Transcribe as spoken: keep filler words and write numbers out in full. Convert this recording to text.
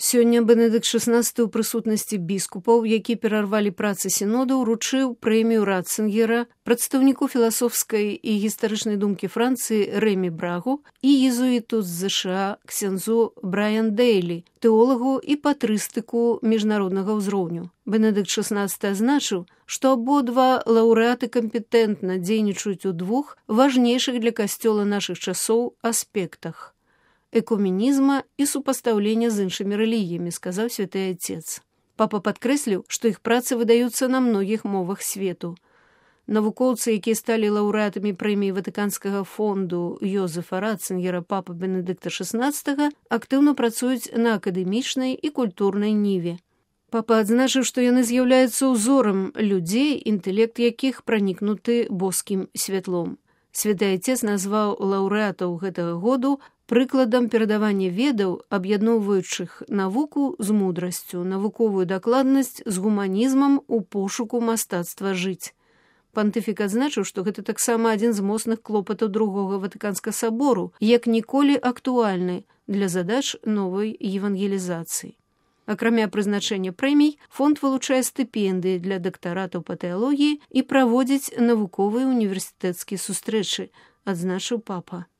Сёння Бенедыкт шаснаццаты ў прысутнасці біскупаў, які перарвалі працы сінода, уручыў прэмію Ратцынгера прадстаўніку філасофскай і гістарычнай думкі Францыі Рэмі Брагу і езуіту з ЗША ксяндзу Брайан Дэйлі, тэолагу і патрыстыку міжнароднага ўзроўню. Бенедыкт шаснаццаты азначыў, што абодва лаўрэаты кампетэнтна дзейнічаюць у двух важнейшых для касцёла нашых часоў аспектах экуменізма і супастаўлення з іншымі рэлігіямі, сказаў святы Отец. Папа падкрэсліў, што іх працы выдаюцца на многіх мовах свету. Навукоўцы, якія сталі лаўрэатамі прэміі Ватыканскага фонду Йозефа Ратцынгера папы Бенедыкта шаснаццатага, актыўна працуюць на акадэмічнай і культурнай ніве. Папа адзначыў, што яны з'яўляюцца ўзорам людзей, інтэлект якіх пранікнуты боскім святлом. Святы Отец назваў лаўрэатаў гэтага году прыкладам перадавання ведаў, аб'ядноўваючых навуку з мудрасцю, навуковую дакладнасць з гуманізмам у пошуку мастацтва жыць. Пантыфік адзначыў, што гэта таксама адзін з моцных клопатаў другога Ватыканскага сабору, як ніколі актуальны для задач новай евангелізацыі. Акрамя прызначэння прэмій, фонд вылучае стыпендыі для дактаратаў па тэалогіі і праводзіць навуковыя універсітэцкія сустрэчы, адзначыў папа.